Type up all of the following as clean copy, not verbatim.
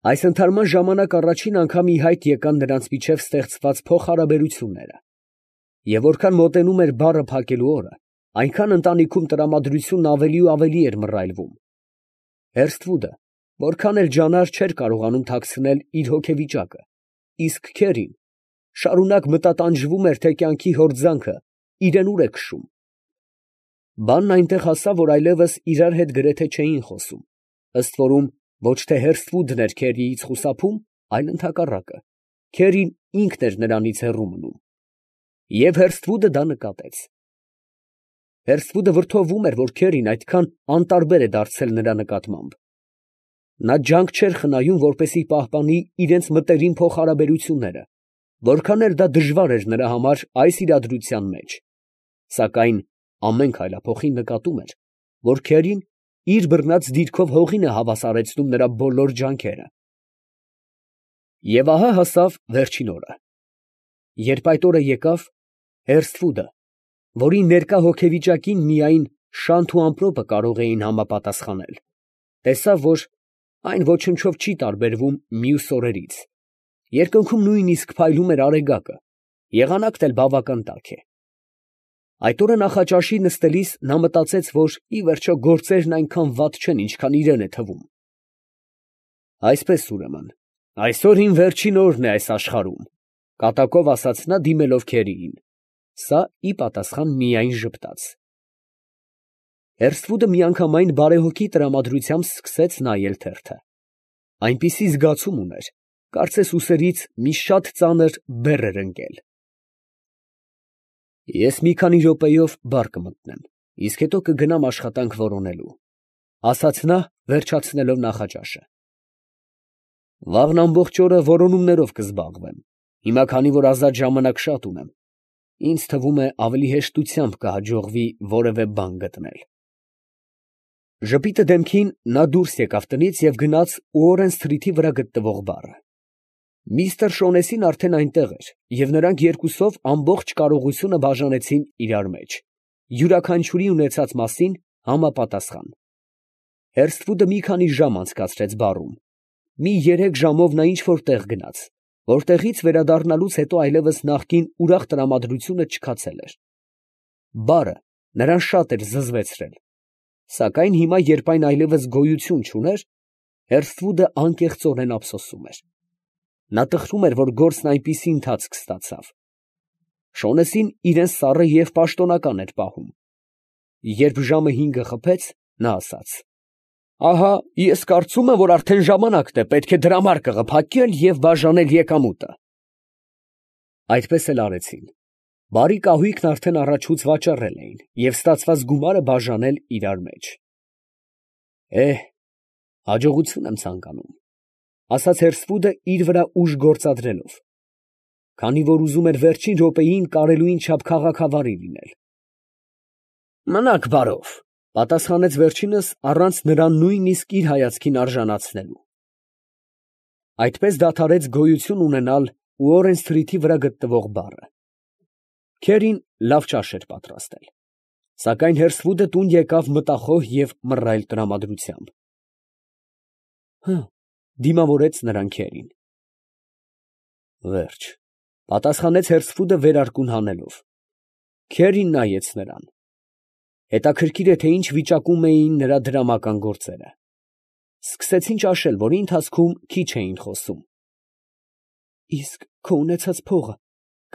Այս ընթարման ժամանակ առաջին անգամ ի հայտ եկան նրանց միջև ստեղծված փոխհարաբերությունները, և որքան մոտենում էր բառը փակելու օրը, այնքան ընտանիքում տրամադրությունն ավելի ու ավելի էր մռայլվում. Հերսթվուդը որքան էլ ջանար չէր կարողանում թաքցնել իր հոգեվիճակը, իսկ քերին շարունակ մտատանջվում էր, թե կյանքի հորձանքը իրան ուր է քշում։ Բանն այնտեղ հասավ, որ այլևս իրար հետ գրեթե չէին խոսում, ըստ որում ոչ թե Հերսթվուդն էր քերիից խուսափում, այլ ընդհակառակը, քերին ինքն էր նրանից հեռու մնում։ Եվ Հերսթվուդը դա նկատեց։ Հերսթվուդը վրդովում էր, որ քերին այդքան անտարբեր է դարձել նրա նկատմամբ։ Նա ջանք չէր խնայում, որպեսզի պահպանի իրենց մտերիմ փոխհարաբերությունները, որքան էլ դա դժվար էր նրա համար այս իրադրության մեջ, սակայն ամեն քայլափոխին նկատում էր, որ քերին իր բռնած դիրքով հողին է հավասարեցնում նրա բոլոր ջանքերը։ Եվ ահա հասավ վերջին օրը։ Երբ այդ օրը եկավ, Հերսթվուդը, որի ներկա հոգեվիճակին միայն շանթ ու ամպրոպը կարող էին համապատասխանել, տեսավ, որ այն ոչնչով չի տարբերվում մյուս օրերից. երկնքում նույնիսկ փայլում էր արեգակը, եղանակն էլ բավական տաք է։ Այդ օրը նախաճաշի նստելիս նա մտածեց, որ ի վերջո գործերն այնքան վատ չեն, ինչքան իրան է թվում։ Այսպես ուրեմն, այսօր իմ վերջին օրն է այս աշխարհում, կատակով ասաց նա, դիմելով քերիին, սա ի պատասխան միայն ժպտաց։ Հերսթվուդը միանգամայն բարեհոգի տրամադրությամբ սկսեց նայել թերթը։ Այնպիսի զգացում ուներ, կարծես ուսերից մի շատ ծանր բեռ էր ընկել։ Ես մի քանի րոպեով բար կմտնեմ, իսկ հետո կգնամ աշխատանք որոնելու, ասաց նա, վերջացնելով նախաճաշը։ Վաղն ամբողջ օրը որոնումներով կզբաղվեմ, հիմա քանի որ ազատ ժամանակ շատ ունեմ, ինձ թվում է ավելի հեշտությամբ կհաջողվի որևէ բան գտնել։ Ժպիտը դեմքին նա դուրս եկավ տնից և գնաց Ուորեն֊սթրիթի վրա գտնվող բարը։ Միստր Շոնեսին արդեն այնտեղ էր, և նրանք երկուսով ամբողջ կարողությունը բաժանեցին իրար մեջ, յուրաքանչյուրի ունեցած մասին համապատասխան։ Հերսթվուդը մի քանի ժամ անցկացրեց բարում, մի 3 ժամով նա ինչ֊որ տեղ գնաց, որտեղից վերադառնալուց հետո այլևս նախկին ուրախ տրամադրությունը չքացել էր։ Բարը նրան շատ էր զզվեցրել, սակայն հիմա, երբ այն այլևս գոյություն չուներ, Հերսթվուդը անկեղծորեն ափսոսում էր։ Նա տխրում էր, որ գործն այնպիսի ընթացք ստացավ։ Շոնեսին իրան սառը և պաշտոնական էր պահում։ Երբ ժամը 5-ը խփեց, նա ասաց. «Ահա ես կարծում եմ, որ արդեն ժամանակն է, պետք է դրամարկղը փակել և բաժանել եկամուտը»։ Այդպես էլ արեցին։ Բարի կահույքն արդեն առաջուց վաճառել էին և ստացված գումարը բաժանել իրար մեջ։ Հաջողություն եմ ցանկանում, ֊ ասաց Հերսթվուդը իր վրա ուժ գործադրելով, քանի որ ուզում էր վերջին րոպեին կարելույն չափ քաղաքավարի լինել։ ֊ Մնաք բարով, ֊ պատասխանեց վերջինս առանց նրան նույնիսկ իր հայացքին արժանացնելու։ Այդպես դադարեց գոյություն ունենալ Ուորեն֊սթրիթի վրա գտնվող բարը։ Քերին լավ ճաշ էր պատրաստել, սակայն Հերսթվուդը տուն եկավ մտախոհ և մռայլ տրամադրությամբ։ Դիմավորեց նրան քերին։ Վերջ, ֊ պատասխանեց Հերսթվուդը վերարկուն հանելով։ Քերին նայեց նրան։ Հետաքրքիր է, թե ինչ վիճակում էին նրա դրամական գործերը։ Սկսեցին ճաշել, որի ընթացքում քիչ էին խոսում։ Իսկ քո ունեցած փողը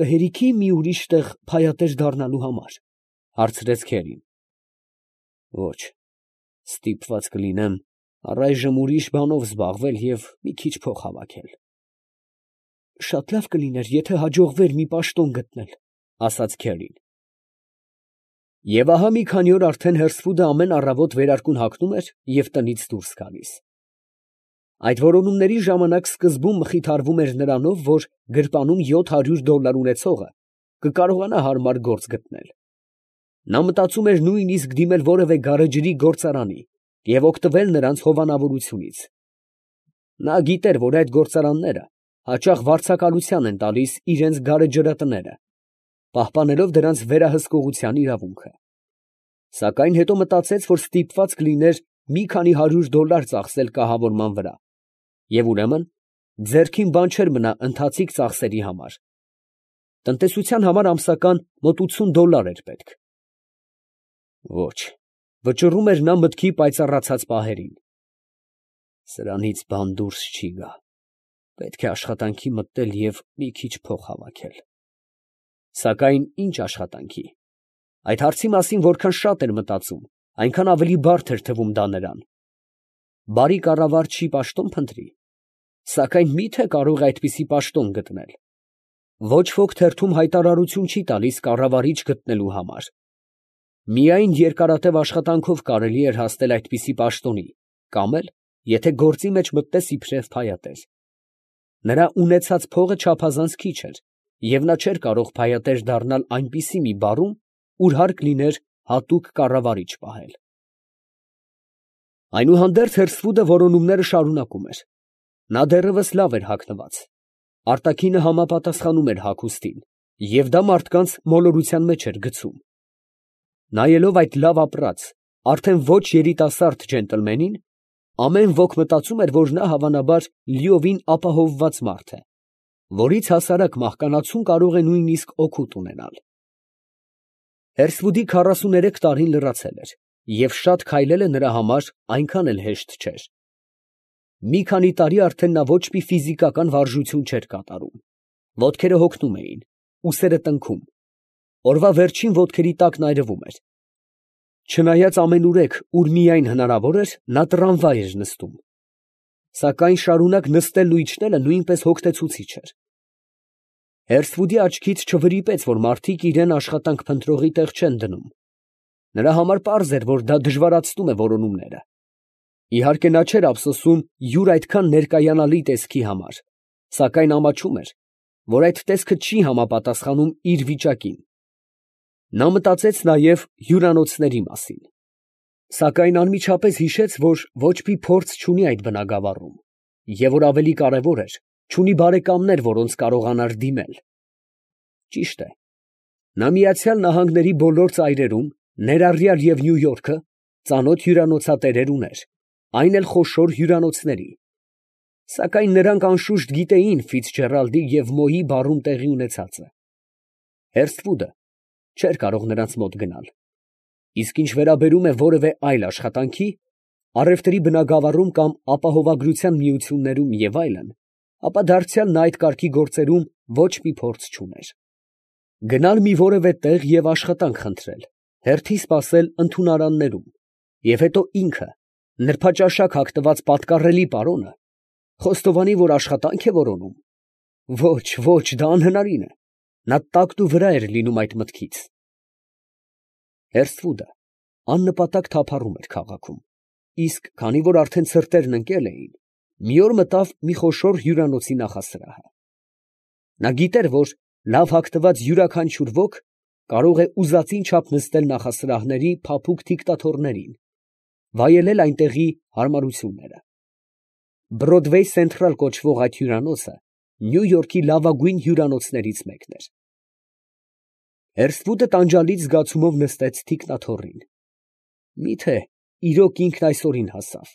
կհերիքի մի ուրիշ տեղ փայատեր դառնալու համար, ֊ հարցրեց քերին։ Ոչ, ստիպված կլինեմ առայժմ ուրիշ բանով զբաղվել և մի քիչ փող հավաքել։ Շատ լավ կլիներ, եթե հաջողվեր մի պաշտոն գտնել, ֊ ասաց քերին։ Եվ ահա մի քանի օր արդեն Հերսթվուդը ամեն առավոտ վերարկուն հագնում էր և տնից դուրս գալիս։ Այդ որոնումների ժամանակ սկզբում մխիթարվում էր նրանով, որ գրպանում $700 ունեցողը կկարողանա հարմար գործ գտնել։ Նա մտածում էր նույնիսկ դիմել որևէ գարեջրի գործարանի և օգտվել նրանց հովանավորությունից։ Նա գիտեր, որ այդ գործարանները հաճախ վարձակալության են տալիս իրենց գարեջրատները, պահպանելով դրանց վերահսկողության իրավունքը։ Սակայն հետո մտածեց, որ ստիպված կլիներ մի քանի $100 ծախսել կահավորման վրա և ուրեմն ձեռքին բան չէր մնա ընթացիկ ծախսերի համար։ Տնտեսության համար ամսական մոտ $80 էր պետք։ Ոչ, վճռում էր նա մտքի պայծառացած պահերին։ Սրանից բան դուրս չի գա։ Պետք է աշխատանքի մտնել և մի քիչ փող հավաքել։ Սակայն ի՞նչ աշխատանքի։ Այդ հարցի մասին որքան շատ էր մտածում, այնքան ավելի բարդ էր թվում դա նրան։ Բարի կառավարչի պաշտոն փնտրի։ Սակայն մի՞թե կարող է այդպիսի պաշտոն գտնել։ Ոչ ոք թերթում հայտարարություն չի տալիս կառավարիչ գտնելու համար։ Միայն երկարատև աշխատանքով կարելի էր հասնել այդպիսի պաշտոնի, կամ էլ, եթե գործի մեջ մտնես իբրև փայատեր։ Նրա ունեցած փողը չափազանց քիչ էր, և նա չէր կարող փայատեր դառնալ այնպիսի մի բարում, ուր հարկ լիներ հատուկ կառավարիչ պահել։ Այնուհանդերձ Հերսվուդը որոնումները շարունակում էր։ Նա դեռևս լավ էր հագնված։ Արտաքինը համապատասխանում էր հագուստին, և դա մարդկանց մոլորության մեջ էր գցում։ Նայելով այդ լավ ապրած, արդեն ոչ երիտասարդ ջենտլմենին, ամեն ոք մտածում էր, որ նա հավանաբար լիովին ապահովված մարդ է, որից հասարակ մահկանացուն կարող է նույնիսկ օգուտ ունենալ։ Հերսվուդի 43 տարին լրացել էր, և շատ քայլելը նրա համար այնքան էլ հեշտ չէր։ Մի քանի տարի արդեն նա ոչ մի ֆիզիկական վարժություն չէր կատարում։ Ոտքերը հոգնում էին, ուսերը տնքում, օրվա վերջին ոտքերի տակն այրվում էր։ Չնայած ամենուրեք, ուր միայն հնարավոր էր, նա տրամվայ էր նստում։ Սակայն շարունակ նստելն ու իջնելը նույնպես հոգնեցուցիչ էր։ Հերսվուդի աչքից չվրիպեց, որ մարդիկ իրան աշխատանք փնտրողի տեղ չեն դնում։ Նրա համար պարզ էր, որ դա դժվարացնում է որոնումները։ Իհարկե նա չէր ափսոսում յուր այդքան ներկայանալի տեսքի համար, սակայն ամաչում էր, որ այդ տեսքը չի համապատասխանում իր վիճակին։ Նա մտածեց նաև հյուրանոցների մասին։ Սակայն անմիջապես հիշեց, որ ոչ մի փորձ չունի այդ բնագավառում, և որ ավելի կարևոր էր, չունի բարեկամներ, որոնց կարողանար դիմել։ Ճիշտ է, նա Միացյալ Նահանգների բոլոր ծայրերում, ներառյալ և Նյու Յորքը, ծանոթ հյուրանոցատերեր ուներ, այն էլ խոշոր հյուրանոցների։ Սակայն նրանք անշուշտ գիտեին Ֆիցջերալդի և Մոյի բարում տեղի ունեցածը։ Հերսթվուդը չէր կարող նրանց մոտ գնալ։ Իսկ ինչ վերաբերում է որևէ այլ աշխատանքի, առևտրի բնագավառում կամ ապահովագրության միություններում և այլն, ապա դարձյալ նա այդ կարգի գործերում ոչ մի փորձ չուներ։ Գնալ մի որևէ տեղ և աշխատանք խնդրել, հերթի սպասել ընդունարաններում, և հետո ինքը, նրբաճաշակ հագնված պատկառելի պարոնը, խոստովանի, որ աշխատանք է որոնում։ Ոչ, ոչ, դա անհնարին է։ Նա տակտուվրա էր լինում այդ մտքից։ Հերսթվուդը աննպատակ թափառում էր քաղաքում, իսկ քանի որ արդեն ցրտերն ընկել էին, մի օր մտավ մի խոշոր հյուրանոցի նախասրահը։ Նա գիտեր, որ լավ հագնված յուրաքանչյուր ոք կարող է ուզածին չափ նստել նախասրահների փափուկ թիկտաթոռներին, վայելել այնտեղի հարմարությունները։ Բրոդվեյ Սենթրալ կոչվող այդ հյուրանոցը Նյու Յորքի լավագույն հյուրանոցներից մեկն էր։ Հերսթվուդը տանջալից զգացումով նստեց թիկնաթոռին։ Մի՞թե իրոք ինքն այսօրին հասավ։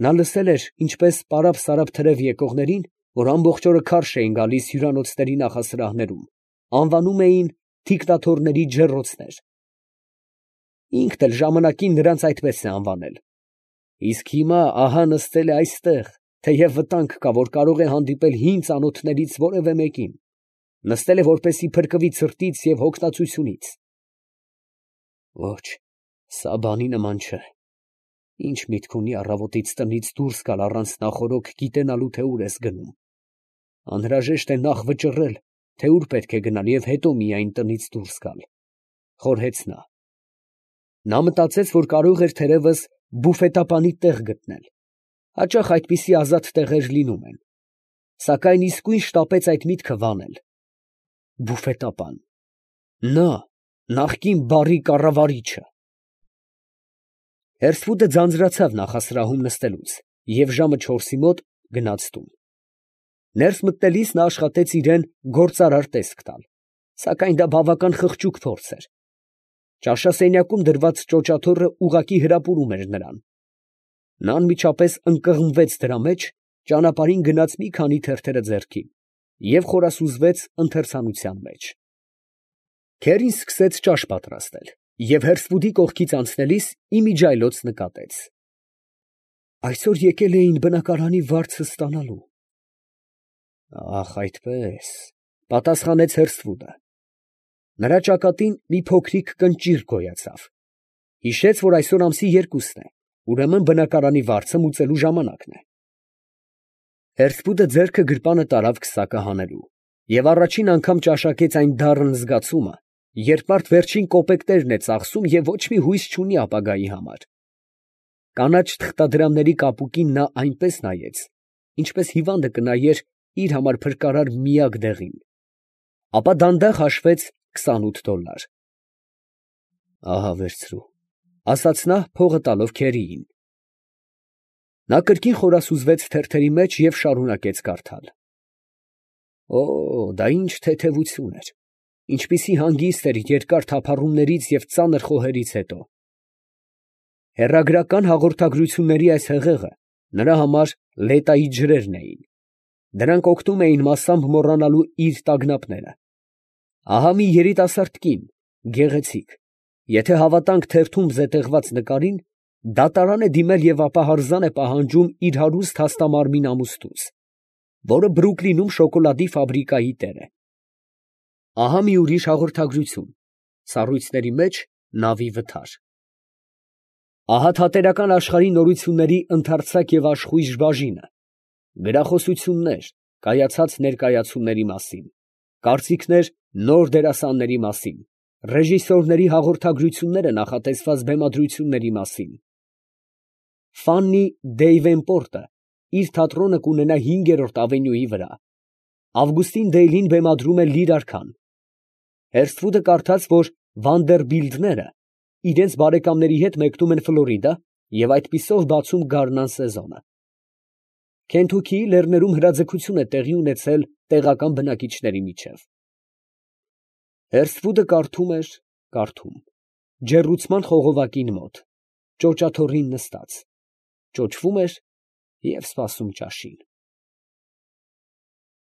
Նա լսել էր, ինչպես պարապ֊սարապ թրև եկողներին, որ ամբողջ օրը քարշ էին գալիս հյուրանոցների նախասրահներում, անվանում էին թիկնաթոռների ջեռոցներ։ Ինքն էլ ժամանակին նրանց այդպես է անվանել։ Իսկ հիմա ահա նստել է այստեղ, թեև վտանգ կա, որ կարող է հանդիպել հին ծանոթներից որևէ մեկին, նստել է, որպեսզի փրկվի ցրտից և հոգնածությունից։ Ոչ, սա բանի նման չէ։ Ինչ միտք ունի առավոտից տնից դուրս գալ առանց նախօրոք գիտենալու, թե ուր ես գնում։ Անհրաժեշտ է նախ վճռել, թե ուր պետք է գնալ, և հետո միայն տնից դուրս գալ, խորհեց նա։ Նա մտածեց, որ կարող էր թերևս բուֆետապանի տեղ գտնել։ Հաճախ այդպիսի ազատ տեղեր լինում են։ Սակայն իսկույն շտապեց այդ միտքը վանել։ Բուֆետապան։ Նա, նախկին բարի կառավարիչը։ Հերսթվուդը ձանձրացավ նախասրահում նստելուց և ժամը 4-ի մոտ գնաց տուն։ Ներս մտնելիս նա աշխատեց իրան գործարար տեսք տալ, սակայն դա բավական խղճուկ փորձ էր։ Ճաշասենյակում դրված ճոճաթոռը ուղղակի հրապուրում էր նրան։ Նա անմիջապես ընկղմվեց դրա մեջ, ճանապարհին գնաց մի քանի թերթերը ձեռքին և խորասուզվեց ընթերցանության մեջ։ Քերին սկսեց ճաշ պատրաստել և հերսվուդի կողքից անցնելիս իմիջիայլոց նկատեց. այսօր եկել էին բնակարանի վարձը ստանալու։ Ախ, այդպես, պատասխանեց հերսվուդը։ Նրա ճակատին մի փոքրիկ կնճիռ գոյացավ։ Հիշեց, որ այսօր ամսի 2-ն է, ուրեմն բնակարանի վարձը մուծելու ժամանակն է։ Հերսվուդը ձեռքը գրպանը տարավ քսակը հանելու և առաջին անգամ ճաշակեց այն դառն զգացումը, երբ մարդ վերջին կոպեկներն է ծախսում և ոչ մի հույս չունի ապագայի համար։ Կանաչ թղթադրամների կապուկին նա այնպես նայեց, ինչպես հիվանդը կնայեր իր համար փրկարար միակ դեղին, ապա դանդաղ հաշվեց $28։ Ահա վերցրու, ասաց նա, փողը տալով քերիին։ Նա կրկին խորասուզվեց թերթերի մեջ և շարունակեց կարդալ. Օ, դա ինչ թեթևություն էր, ինչպիսի հանգիստ էր երկար թափառումներից և ծանր խոհերից հետո։ Հեռագրական հաղորդագրությունների այս հեղեղը նրա համար լետայի ջրերն էին. դրանք օգնում էին մասամբ մոռանալու իր տագնապները։ Ահա մի երիտասարդ կին, գեղեցիկ, եթե հավատանք թերթում զետեղված նկարին, դատարան է դիմել և ապահարզան է պահանջում իր հարուստ հաստամարմին ամուսնուց, որը Բրուքլինում շոկոլադի ֆաբրիկայի տեր է։ Ահա մի ուրիշ հաղորդագրություն, սառույցների մեջ նավի վթար։ Ահա թատերական աշխարհի նորությունների ընդարձակ և աշխույժ բաժինը, գրախոսություններ կայացած ներկայացումների մասին, կարծիքներ նոր դերասանների մասին, ռեժիսորների հաղորդագրությունները նախատեսված բեմադրությունների մասին։ Ֆաննի Դեյվենպորտը իր թատրոնը կունենա 5-րդ ավենյուի վրա։ Ավգուստին Դեյլին բեմադրում է Լիր արքան։ Հերսթվուդը կարդաց, որ Վանդերբիլտները իրենց բարեկամների հետ մեկնում են Ֆլորիդա և այդպիսով բացում գարնան սեզոնը։ Քենթուքիի լեռներում հրաձգություն է տեղի ունեցել տեղական բնակիչների միջև։ Հերսթվուդը կարդում էր, կարդում, ջեռուցման խողովակին մոտ, ճոճաթոռին նստած, ճոճվում էր և սպասում ճաշին։